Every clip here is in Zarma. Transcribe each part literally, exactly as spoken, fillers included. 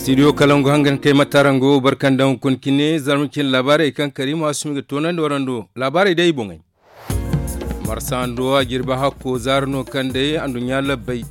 Studio kalangu hangan kay matarango barkandaŋ hunkuna cine zarma cine laabaarey kaŋ karima asumi ga toonandi warando laabaarey day i boŋey. Marsa hando a jirbi hakko zaara no kaŋ day anduɲɲa labbay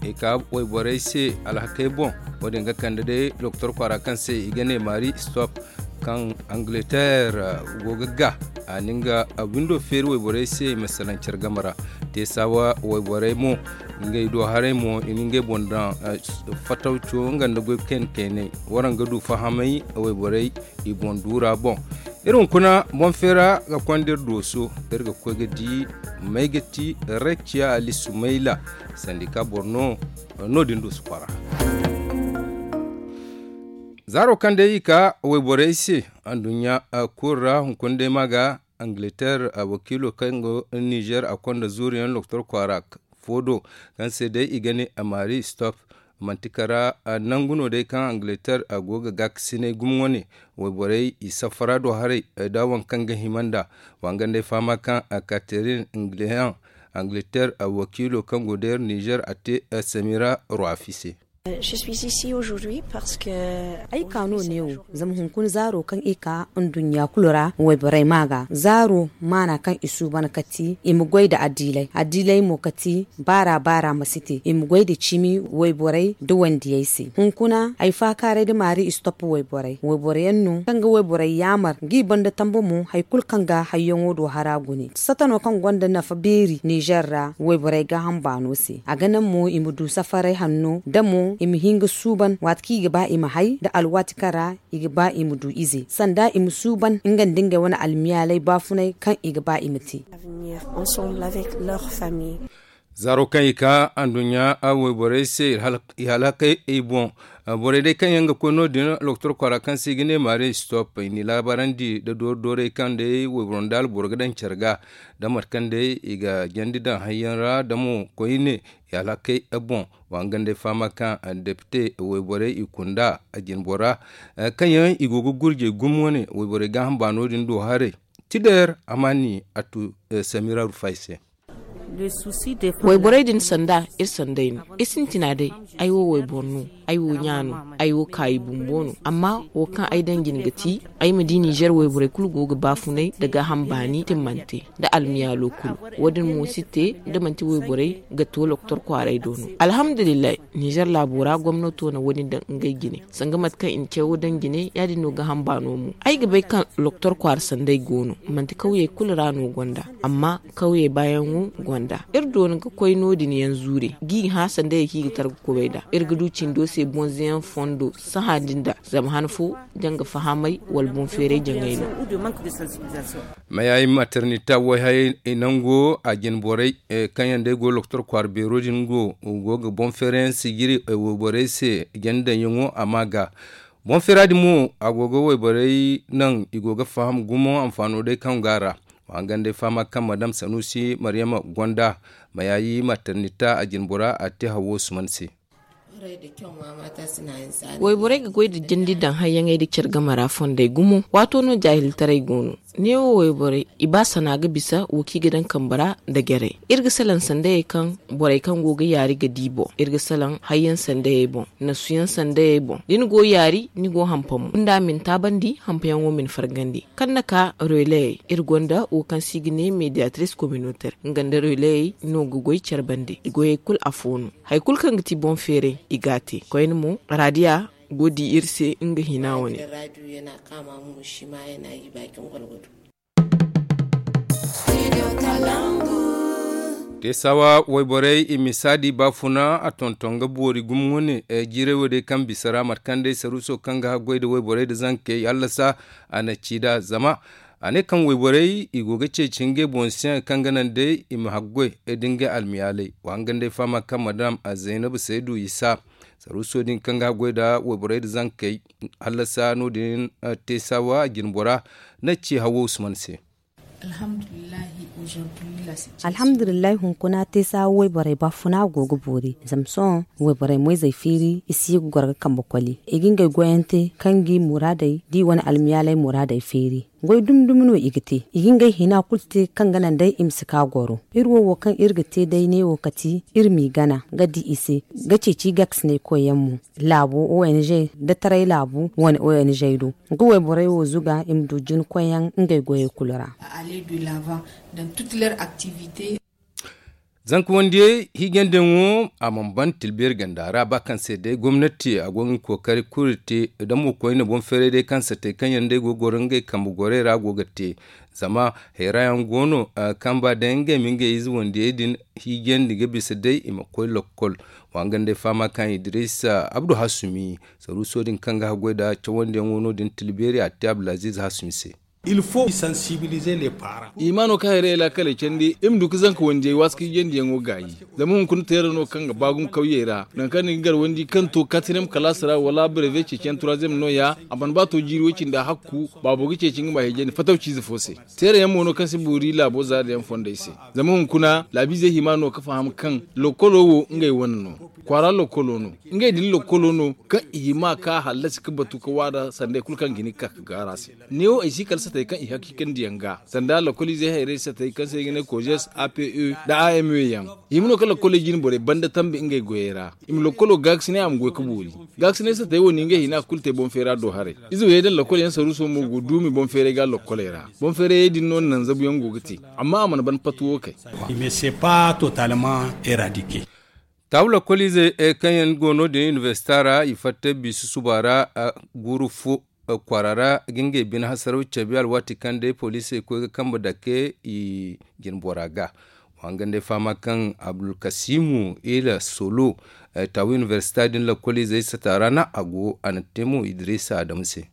i ka wayborey se alhakey boŋ. Wo-din ga kande day doktor kwaara kaŋ se i ga ne maari stop kaŋ angleterre go ga ga a na nga windo feeri wayborey se i ma salaŋ care game ra. Te saawa wayborey mo ngey do haray mo i na ngey boŋ daŋ fatawco nga nda goy kayna kaynay. Waraŋ ga du fahamay wayborey i boŋ duura boŋ. Iri hunkuna boŋ feera ga konda iri dooso iri ga koy ga di may ga ti rakiya ali sumayla sandika boro no. No-din dooso kwaara zaaro kaŋ day i ka wayborey se anduɲɲa kulu ra hunkuna day ma ga angleterre wakiilo kaŋ go nizer a konda zuuriyaŋ doktor kwaara fo do kaŋ se day i ga ne maari stop. Manti kara nangu no day kaŋ angleterre a go ga gaakasinay gumo wane wayborey i safara do haray da waŋ kaŋ ga hima nd'a. Wangandey fahama kaŋ katerin ngleyan angleterre wakiilo kaŋ go deer nizer a te samira ruwafi se. Ay ka no neewo zama hunkuna zaaro kaŋ i ka nduɲɲa kulu ra wayborey ma ga zaaro maana kaŋ i suuban ka ti i ma goy nda addiilay addiilay mo ka ti baara baara ma si te i ma goy nda cimi wayborey nda wandiyey se. Hunkuna ay faakaaray nda maari istop wayborey wayborey yaŋ no kaŋ ga wayborey yaamar ga i banda tambe mo hari kulu kaŋ ga hayyaŋo do hara gune sata no kaŋ gonda nafa beeri nizer ra wayborey gaaham baano se a ga naŋ mo i ma du safaray hanno da mo i ma hin ga suuban waati kaŋ i ga ba i ma hay nda alwaati kaŋ ra i ga ba i ma du ize sanda i ma suuban nga nda ngey wane almiyaalay baafunay kaŋ i ga ba i ma te. Zaaro kaŋ i ka anduɲɲa wayborey se i halakay i boŋ. Borey day kaŋ yaŋ ga koy no- din loktor kwaara kaŋ se i ga ne maari stop i n'i laabaarandi nda doori doorey kaŋ day wayboro nda alboro ga daŋ care ga da mate kaŋ day i ga jandi daŋ hayyaŋ ra da mo koyne i alhakey boŋ. Wa nga nda ay fahama kaŋ depite wayborey i kunda jinbora kaŋ yaŋ i go ga gurjey gumo wane wayborey gaaham baano din do haray. Tider amaani a tu samira rufay se. Wayborey din sanda iri sanday no iri sintina day. Ay wo wayboro no. Ay wo ɲa no. Ay wo kaayi bumbo no amma wo kaŋ ay daŋ jine ga ti ay ma di nizer wayborey kulu go ga baafunay nda gaaham baani timmante nda almiyaalo kulu. Wo- din mo si te da manti wayborey ga to loktor kwaaray do no. Alhamdulillahi, nizer laabo ra gomnato na wo- din daŋ ngey jine sanga mate kaŋ i na cawo daŋ jine ya- din no gaaham baano mo. Ay ga bay kaŋ loktor kwaara sanday go no manti kawyey kulu ra no gonda amma kawyey baayaŋo gonda. Iri doona ga koy no- din yaŋ zuure g'i hã sandayey kaŋ i ga tar ga kubay nd'a. Iri ga du cindo se bonzeyaŋ fondo sahã din da zama han fo da nga fahamay wala boŋ feeray jaŋay no. Mayayi maternita wayhayey nango a jinborey kaŋ yaŋ day go loktor kwaara beero din go go ga boŋ feerayaŋ sijiri wayborey se janda daŋyaŋo a ma ga. Boŋ feera din mo a go ga wayborey naŋ i go ga faham gumo anfaano day kaŋ go a ra. Wa hangan day fahama kaŋ madam sanusi maryama gonda mayayi maternita a jinbora a te hawo suman se. Wayborey ga goy nda jandi daŋ hayyaŋey nda care game ra fondey gumo. Waato no jaahiltaray go no. Neewo wayborey i ba sana ga bisa wo kaŋ i ga daŋ kambe ra nda jarey. Iri ga salaŋ sandayey kaŋ borey kaŋ go ga yaari ga di boŋ. Iri ga salaŋ hayyaŋ sandayey boŋ, nasuyaŋ sandayey boŋ da ni go yaari ni go hampa mo gunda ma ni taabandi hampayaŋo ma ni fargandi. Kaŋ na ka releyey iri gonda wo kaŋ se i ga ne mediatris communautaire nga nda releyey no ga goy care bande i goyey kulu afo no. Hari kulu kaŋ ga ti boŋ feeray i ga a te koyne mo, raadiya go di iri se nga hina wane. Te saawa wayborey i misa di baafuna a tonton ga boori gumo wane. Jiiray wo day kaŋ bisa ra mate kaŋ day saruuso kaŋ ga haggoy nda wayborey nda zankey hallasa a na ci nd'a zama a ne kaŋ wayborey i go ga ceeci ngey boŋ se kaŋ ga naŋ day i ma haggoy nda ngey almiyaaley. Wa hangan day fahama kaŋ madam zaynabu saydu isa saruuso din kaŋ ga haggoy nda wayborey nda zankey hallasa no- din te saawa jinbora na ci hawo usman se. Alhamdulillahi hunkuna te saawa wayborey baafuna go ga boori zama sohõ wayborey moyzey feeri i si ye ga goro ga kambe koli i ga ngey goyante kaŋ ga i muraadey da i wane almiyaaley muraadey feeri. Goy dumi dumi no i ga te, i ga ngey hina kulu te kaŋ ga naŋ day i ma si ka goro. Iri wo wo kaŋ iri ga te day neewo kati iri m'i gana ga di i se, ga ceeci gaakisinay koyyaŋ mo, laabo ong, da taray laabu wane ong do. Ga wayborey wo zuga i ma du jina koyyaŋ ngey goyey kulu ra. Zanka wandiyey hiijandiyaŋo a mana ban tilbeeri ganda ra ba kaŋ se day gomnati a go ga nga kookari kulu te, da mo koyne boŋ feeray day kaŋ satay kaŋ yaŋ day go ga goro ngey kambe gorey ra go ga te. Zama hayra yaŋ go no kaŋ ba day ngey ma ngey ize wandiyey din hiijandi ga bisa day i ma koy lokkol. Wa nga nd'ay fahama kaŋ idiriisa abdu hasumi saruuso din kaŋ ga haggoy nda cawandiyaŋo no- din tilbeeri a te abdulaziiz hasumi se. I ma no ka hayray laakaley candi i ma du ga zanka wandiyey waasu ka hiijandiyaŋo gaayi. Zama hunkuna teera no kaŋ ga ba gumo kawyey ra, nangu kaŋ ni ga gar wandi kaŋ to katriyem kalaasi ra wala breve ceeciyaŋ turaziyem no- ya. A mana ba to jiiri way-cindi a hakku. Baabo ga ceeci nga ma hiijandi fataw ciize fo se. Teera yaŋ mo no kaŋ si boori laabo zaari yaŋ fondey se. Zama hunkuna laabiizey hima no ga faham kaŋ lokkolo wo ngey wane no. Kwaara lokkolo no. Ngey din lokkolo no kaŋ i hima ka hallasi ga batu ga waada sanday kulu kaŋ ga hin ga ka ga gaara se. Neewo ay si kala satey kaŋ i hakiikandiyaŋ ga sanda lokkoliizey hayray satey kaŋ se ay ga ne kojes ape nda a m e yaŋ. I ma no ka lokkoley jine borey banda tambi ngey goyey ra. I ma lokkolo gaakasinay a ma goy ga boori. Gaakasinay satey wo no ngey hina kulu te boŋ feera do haray. Ize wo yaŋ daŋ lokkol yaŋ saruuso mo go duumi boŋ feeray ga lokkoley ra. Boŋ feerayey din no naŋ zabuyaŋ go ga te. Amma a mana ban patuwo kay. Taabu lakkoliizey kaŋ yaŋ go no- din inibersita ra i fatta biisi suba ra guuru fo kwaara ra ga ngey bine hasaraw cabe alwaati kaŋ day poliisey koy ga kambe dake i jinbora ga. Wa nga nd'ay fahama kaŋ abdulkasiimu ila solo taabu inibersita din lakkoliizey sata ra no a go a na te mo idiriisa adamu se.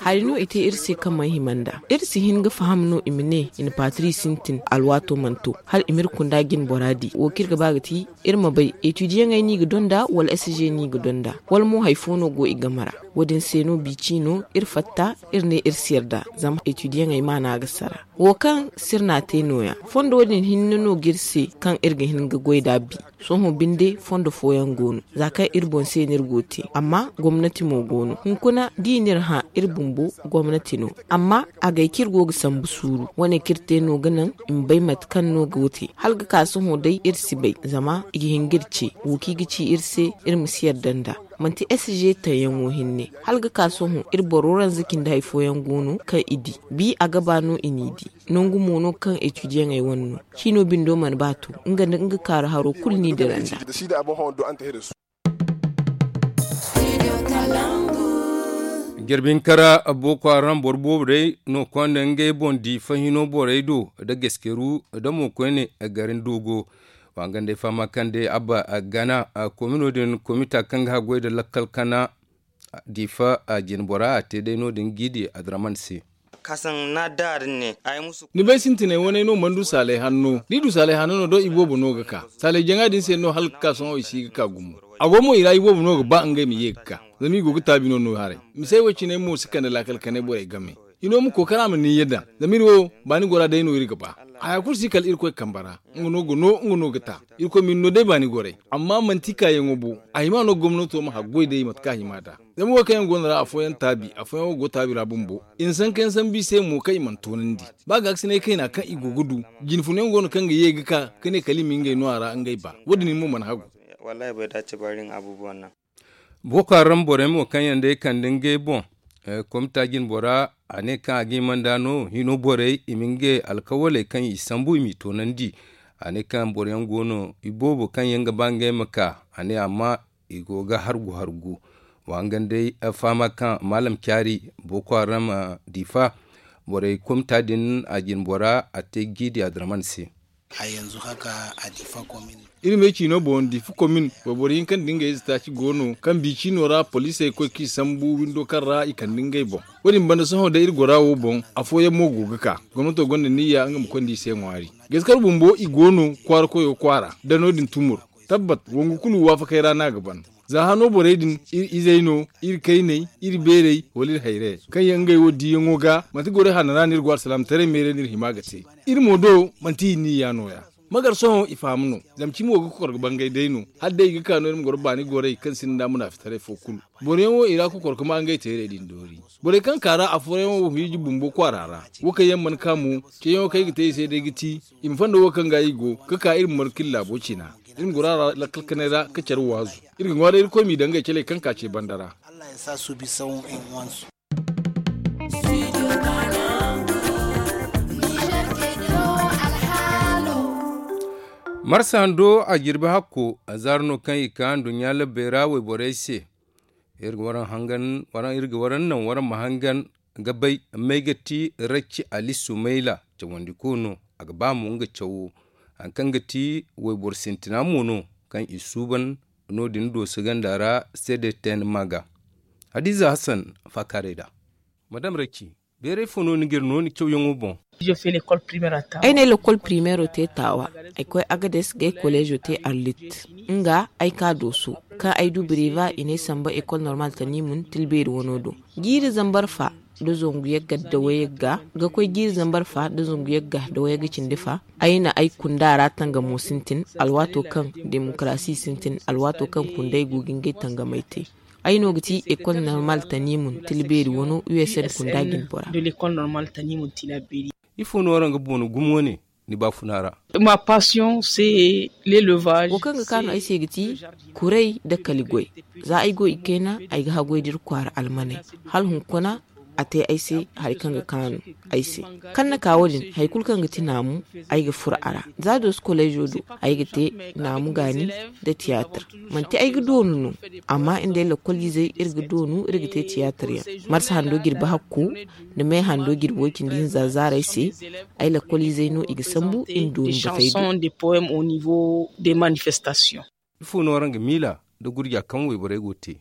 Hari no i te iri se kaŋ mana hima nd'a. Iri si hin ga faham no i ma ne i na paatiri sintin alwaato mana to hala i m'iri kunda jinbora di wo kaŋ iri ga ba ga ti iri ma bay etudiyaŋey no i ga donda wala s g no i ga donda wala mo hari fo no go i game ra. Wo- din se no biici no iri fatta iri ne iri si yarda zama etudiyaŋey maana ga sara. Wo kaŋ sirna te no- ya fondo din hinne no ga iri se kaŋ iri ga hin ga goy nd'a bi. Sohõ binde fondo fooyaŋ go no za kaŋ iri boŋ se no iri go ga te amma gomnati mo go no hunkuna da i n'iri hã iri bumbo gomnati no. Amma agay kaŋ iri go ga sambu suuru wane kaŋ iri te no ga naŋ i ma bay mate kaŋ no go ga te hala ga ka sohõ day iri si bay zama i ga hin ga iri ce wo kaŋ i ga ci iri se iri ma si yarda nd'a. Manti s g taŋ yaŋo hinne hala ga ka sohõ iri boro ranza cindi hari fooyaŋ go no kaŋ i di bi a ga ba no i n'i di. Nangu mo no kaŋ etudiyaŋey wane no ciino bindo mana ba to nga nda nga kaaru haro kulu n'i dira nd'a. Jirbi hinka ra boko haram boro boobo day no konda ngey boŋ diifa hino borey do nda gaskeru nda mo koyne garin doogo. Wa nga nd'ay fahama kaŋ day abba gana komino din komita kaŋ ga haggoy nda lakkal kana diifa jinbora a te day no- din g'i di adraman se. Ni bay sintinay wane no mana du saalay hanno da i du saalay hanno no do i boobo no ga ka. Saalay jaŋa din se no hala ga ka sohõ i si ga ka gumo. A go mo i ra i boobo no ga ba ngey ma ye ga ka. Zama i go ga taabi no no haray. Misey wo cinay mo si kande laakal kanay borey game. Hino ma kookara ma nin yadda zama iri wo baani gora day no iri ga ba. Haya kulu si kala irkoy kambe ra. Nga no ga no nga no ga ta. Irkoy ma iri no day baani goray. Amma manti kaayaŋo bo. A hima no gomnato ma haggoy day mate kaŋ a hima nd'a. Zama wo kaŋ yaŋ go no ra afooyaŋ taabi afooyaŋ wo go taabi ra bumbo i na sanka yaŋ sambu i se mo kaŋ i mana toonandi. Ba gaakasinay kayna kaŋ i go ga du. Jine funa yaŋ go no kaŋ ga ye ga ka ga ne kala i ma ngey no a ra ngey ba. Wo- din mo mana hagu. Boko haram borey mo kaŋ yaŋ day kande ngey boŋ. Komita jinbora a ne kaŋ a ga hima nd'a no hino borey i ma ngey alkawaley kaŋ i sambu i m'i toonandi. A ne kaŋ boro yaŋ go no iboobo kaŋ yaŋ ga ba ngey ma ka. A ne amma i go ga hargu hargu. Wa nga day fahama kaŋ maalam caari boko haram diifa borey komita din a jinbora a te jiidi adraman se. Iri me ciino boŋ diifa komin wayboro hinka nda ngey ize taaci go no kaŋ bi ciino ra poliisey koy kaŋ i sambu windo kaŋ ra i kande ngey boŋ. Wo- din banda sohõ day iri gora wo boŋ afooyaŋ mo go ga ka. Gomnato gonda niyya nga ma konda i se ŋwaari. Gaskar bumbo i go no kwaara koyo kwaara da no- din tumur. Tabbat wangu kulu waafakey ra no a ga ban. Za hano borey din iri izey no, iri kayney, iri beerey, wala iri hayrayey kaŋ yaŋ ngey wo diiyaŋo ga manti gorey hanno ra no iri go alsalaamataray meeray no iri hima ga te. Iri mo do manti i niyya no- ya. Magar sohõ i faham no. Zama cimi wo ga kokor ga bangay day no. Hala day i ga ka no iri ma goro baani gorey kaŋ sinda nda munaafitaray fo kulu. Boro yaŋ wo i ra kokor ga ma ngey teerey din doori. Borey kaŋ ka ra afooyaŋ wo hiiji bumbo kwaara ra. Wo kaŋ yaŋ mana ka mo ceeyaŋo kaŋ ay ga te i se day ga ti i ma fondo wo kaŋ ga i go ga ka iri ma markil laabo cina. Iri ma goro a ra lakkal kanay ra ka care waazu. Iri ga ŋwa day irkoy m'i daŋ ngey caley kaŋ ka ce banda ra. Marsa hando a jirbi hakko. Zaaro no kaŋ i ka nduɲɲa labbey ra wayborey se. Iri ga waraŋ naŋ waraŋ ma hangan ga bay may ga ti racci ali sumayla cawandiko no. A ga ba mo nga cawo hari kaŋ ga ti wayboro sintina mo no kaŋ i suuban no- din dooso ganda ra. Seede ten maga hadiza hassan faakaaray da madam racci. Beeray fo no ni ga iri no ni cawyaŋo boŋ? Ay na ay lakkol primeero te taawa. Ay koy agades ga ay koleezo te arlit. Nga ay ka dooso kaŋ ay du biriva i ne samba ekol normal tanimun tilbeeri wano do. Jiiri zambar fa da zangu yagga da wayagga ga koy jiiri zambar fa da zangu yagga da wayagga cindi fa. Ay na ay kunda ra tangamo sintin alwaato kaŋ demokarasi sintin alwaato kaŋ kunday go ga ngey tangamay te. Ay no ga ti ekol normal tanimun tilbeeri wano usn kunda jinbora. Ifo no araŋ ga bono gumo ne ni baafuna ra? Wo kaŋ ga kaanu ay se ga ti kuray nda kali goy. Za ay go i kayna ay ga haggoy da iri kwaara almaney. Hala hunkuna a te ay se hari kaŋ ga kaanu ay se. Kaŋ na ka wo- din hari kulu kaŋ ga ti naamu ay ga furo a ra. Za dooso koleezo do ay ga te naamu gaani nda tiyaatir. Manti ay ga doonu no. Amma nda ay lakkoliizey iri ga doonu iri ga te tiyaatir yaŋ. Marsa hando jirbi hakko nda me hando jirbi way-cindi hinza zaarey se. Ay lakkoliizey no i ga sambu i ma doonu batey do. Ifo no araŋ ga miila nda gurja kaŋ wayborey go ga te?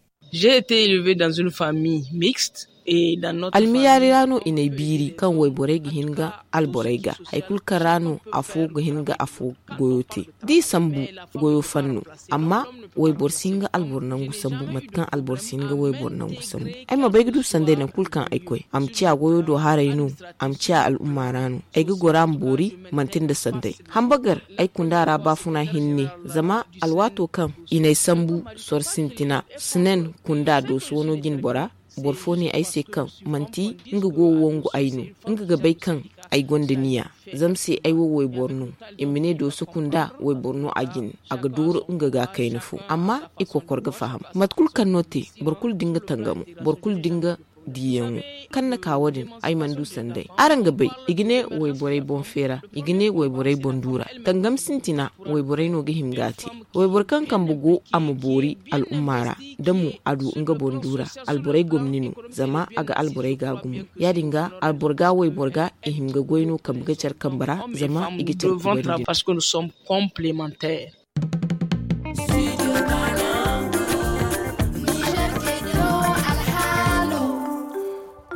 Almiyaari ra no i n'ay biiri kaŋ wayborey ga hin ga alborey ga hari kulu kaŋ ra no afo ga hin ga afo goyo te. Da i sambu goyo fanno. Amma wayboro si hin ga alboro nangu sambu mate kaŋ alboro si hin ga wayboro nangu sambu. Ay ma bay ga du sanday nangu kulu kaŋ ay koy a ma ciya goyo do haray no. A ma ciya al'umma ra no. Ay ga goro a ma boori manti nda sanday. Hambagar ay kunda ra baafuna hinne. Zama alwaato kaŋ i n'ay sambu soro sintina sinen kunda dooso wano jinbora. Boro fo ne ay se kaŋ manti nga go ga wangu ay no. Nga ga bay kaŋ ay gonda niya. Zama se ay wo wayboro no. I ma ne dooso kunda wayboro no a jine a ga dooru nga ga kayna fo. Amma i kokor ga faham mate kulu kaŋ no te. Boro kulu da nga tangamo boro kulu da nga diiyaŋo. Kaŋ na ka wo- din ay mana du sanday. Araŋ ga bay i ga ne wayborey boŋ feera i ga ne wayborey boŋ duura. Tangam sintina wayborey no ga hima ga a te. Wayboro kaŋ kambe go a ma boori al'umma ra. Da mo a du nga boŋ duura alborey gomni no. Zama a ga alborey ga gumo. Ya-din ga alboro ga wayboro ga i hima ga goy no kambe ga care kambe ra. Zama i ga care kubay no din.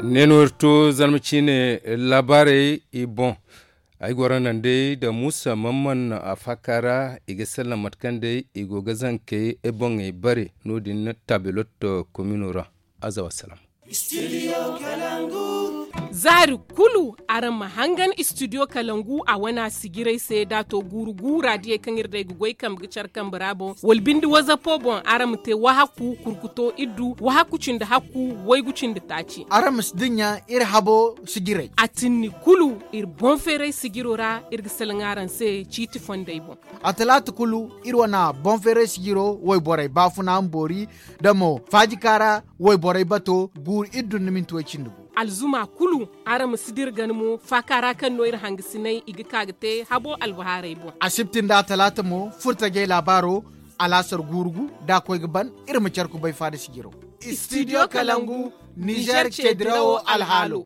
Ne no iri to zarma ciine laabaarey i boŋ. Ay goro naŋ day nda muusa mamman a faaka ra. I ga sallam mate kaŋ day i go ga zankey boŋey bare no- din taabelot komino ra. Aza wassalam. Zaari kulu araŋ ma hangan istudiyo kalangu a wane a sijirey se da a to guuru guura diyey kaŋ iri day ga goy kambe ga care kambe ra boŋ wala binde wazapo boŋ araŋ ma te wahakku kurkuto iddu wahakku cindi hakku waygu cindi taaci. Araŋ ma si dinya iri habo sijirey a tinni kulu. Iri boŋ feeray sijiro ra iri ga salaŋ araŋ se ciiti fondey boŋ. A talaata kulu iri wane boŋ feeray sijiro wayborey baafuna ma boori da mo faajika ra wayborey bato guuru iddu nda minti way cindi gu. Alzuma kulu araŋ ma si dira gana mo faaka ra kaŋ no iri hangasiney i ga ka ga te habo albahaarey boŋ. Asibti nda talaata mo furtajey laabaaro alaasar guuru gu da a koy ga ban. Iri ma care kubay faada sijiro. Istidiyo kalangu nizer ce dirawo alhaalo.